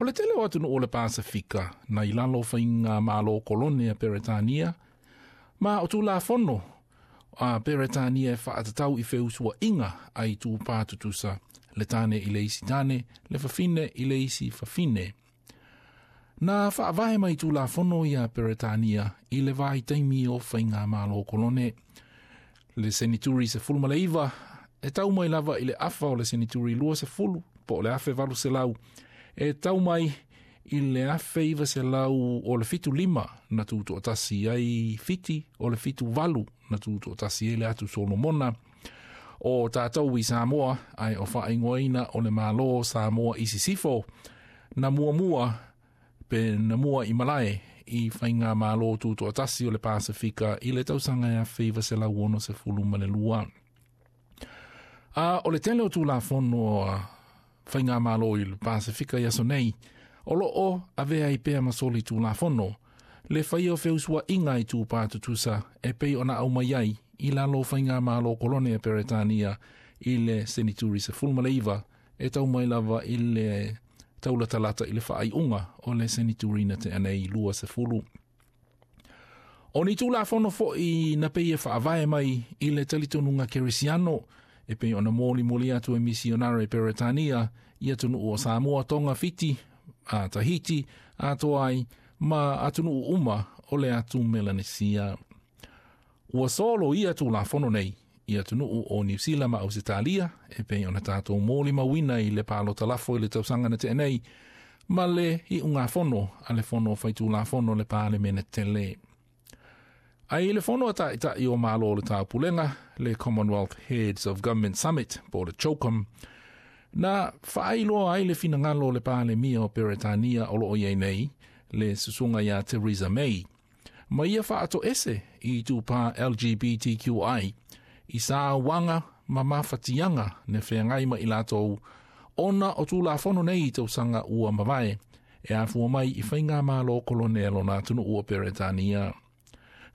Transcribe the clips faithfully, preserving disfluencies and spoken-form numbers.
O le tele o atunuu o le Pasifika na i lalo o faigamalo kolone a Peretania, ma o Tulafono a Peretania e faatatau i feusuaiga a itupā tutusa, le tane i le isi tane, le fafine i le isi fafine. Na faavae mai Tulafono ia Peretania i le vaitaimi o faigamalo kolone. Le senituri sefulu ma le iva, e tau mai lava i le afa o le senituri lua sefulu, po o le afe valu selau, e tau mai i le afe iva selau o le fitu lima na tutoatasi ai Fiti, o le fitu valu na tutoatasi ai le atu Solomona. O tātou i Samoa, ai o faaigoaina o le Malo Samoa i Sisifo, na muamua pe na mua i malae i faigamalo tutoatasi o le Pasifika i le tausaga e afe iva selau ono sefulu ma le lua. A o le tele o Tulafono a faigamalo i le Pasifika i aso nei, o loo avea ai pea ma soli Tulafono, le faia o feusuaiga i tupā tutusa e pei ona aumai ai i lalo o faigamalo kolone a Peretania i le senituri sefulu ma le iva, e tau mai lava i le taulatalata i le faaiuga o le senituri na tea nei lua sefulu. O ni Tulafono foi na pei e faavae mai i le talitonuga kerisiano, e pei ona molimoli atu e misionare Peretania i atunuu o Samoa, Tonga, Fiti, a Tahiti, atoa ai ma atunuu uma o le atu Melanesia. Ua solo ia Tulafono nei i atunuu o Niu Sila ma Ausetalia, e pei ona tātou molimauina i le palota lafo i le tausaga na tea nei, ma le iugafono a le fono faitulafono le Palemene tele. Ai i le fono a taitai o Malo o le Taupulega, le Commonwealth Heads of Government Summit, po o le CHOGM, na faailoa ai le finagalo o le Palemia o Peretania o loo iai nei, le susuga ia Theresa May, ma ia faatoese i tupā L G B T Q I, i sauaga ma mafatiaga na feagai ma i latou, ona o Tulafono nei i tausaga ua mavae, e afua mai i faigamalo kolone a lona atunuu o Peretania.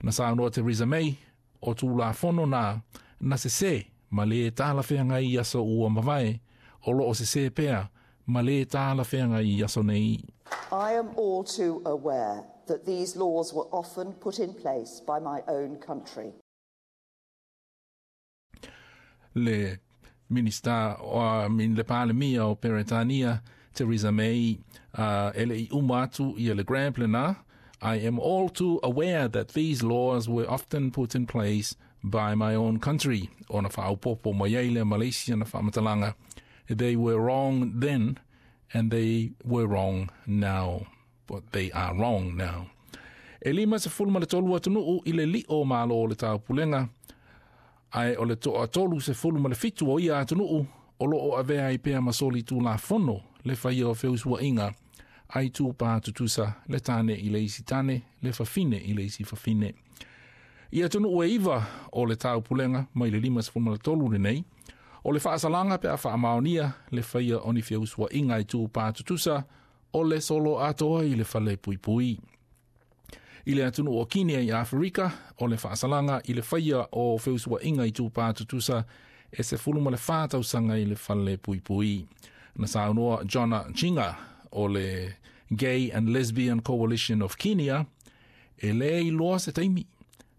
Na saunoa Theresa May, o Tulafono na, na sesē ma le talafeagai i aso ua mavae, o loo sesē pea ma le talafeagai i aso nei. I am all too aware that these laws were often put in place by my own country. Le Minista o min le Palemia o Peretania, Theresa May, uh, ele i uma atu ia le Grand Plena, I am all too aware that these laws were often put in place by my own country. Ona whaaupopo mai ai le Malaysia na whaamatalanga. They were wrong then and they were wrong now. But they are wrong now. E lima sefulu ma le tolu atunuu i le lio malo o le taupulega, ai o le toa tolu sefulu ma le fitu o ia atunuu, o loo avea ai pea ma soli Tulafono le faia o feusuaiga ai tupā tutusa le tane i le isi tane, le fafine i le isi fafine. I atunuu e iva o le taupulega mai le lima sefulu ma le tolu lenei, o le faasalaga pe a faamaonia le faia o ni feusuaiga i tupā tutusa o le solo atoa i le fale puipui. I le atunuu o Kinia i Afrika, o le faasalaga i le faia o feusuaiga i tupā tutusa e sefulu ma le whā tausaga i le fale puipui. Na saunoa Jonah Chinga o le Gay and Lesbian Coalition of Kenya, e le iloa se taimi,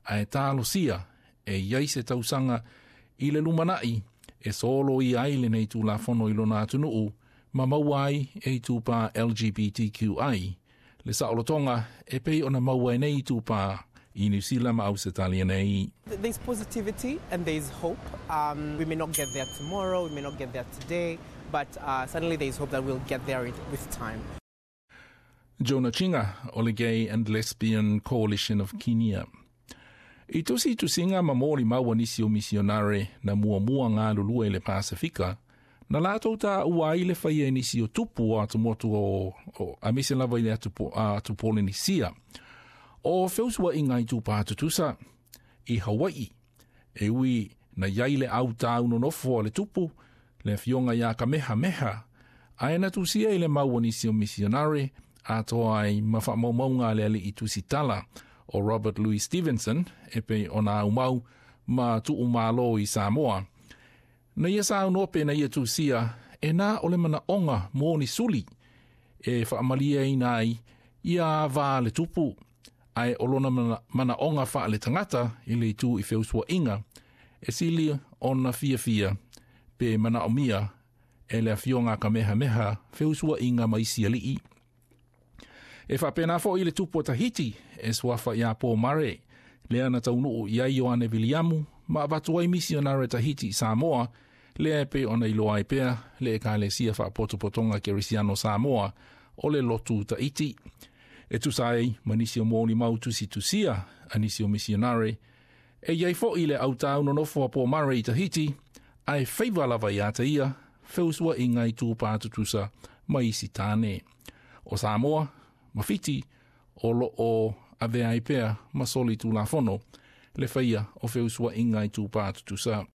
ae talosia e iai se tausaga i le lumanai e solo i ai lenei Tulafono i lona atunuu, ma maua ai e tupā L G B T Q I, le saolotoga e pei ona maua e nei tupā i Niu Sila ma Ausetalia nei. There's positivity and there's hope. Um, we may not get there tomorrow, we may not get there today, but uh, suddenly there's hope that we'll get there with time. Jonah Chinga o le Gay and Lesbian Coalition of Kenya. I tusi tusinga ma moli maua nisi o misionare na muamua ngā lulua i le Pasifika, na lātou tā ua ai le whaia nisi o tupu o atu motu o, o a mese lava i le atu, atu Polenisia. O feusua i ngai tupā tutusa i Hawaii, e ui na iai le au tāu nonofo a le tupu, le fionga ia Kamehameha, ae na tusia i le maua nisi o misionare, atoa ai ma whaamaumaunga le ali i tusitala o Robert Louis Stevenson, e pe ona au mau ma tuu malo i Samoa. Na ia sa au nope na ia tusia, e nā o le mana onga mō ni suli, e faamalieina ai ia va le tupu, ae o lona manaoga faaletagata i le itu i feusuaiga e sili ona fiafia pe manaomia e le afioga a Kamehameha feusuaiga ma isi alii. E faapena foʻi le tupu o Tahiti e suafa iā Pomare, lea na taunuu i ai Ioane Viliamu ma avatu ai misionare Tahiti i Samoa, lea e pei ona iloa ai pea le ekalesia faapotopotoga Kerisiano Samoa o le lotu Tahiti. E tusa ai ma nisi o molimau tusitusia a nisi o misionare, e iai foʻi le autau nonofo a Pomare i Tahiti, ae faiva lava iā te ia feusuaiga i tupā tutusa ma isi tane. O Samoa ma Fiti o loo avea ai pea ma soli tulafono le faia o feusuaiga i tupā tutusa.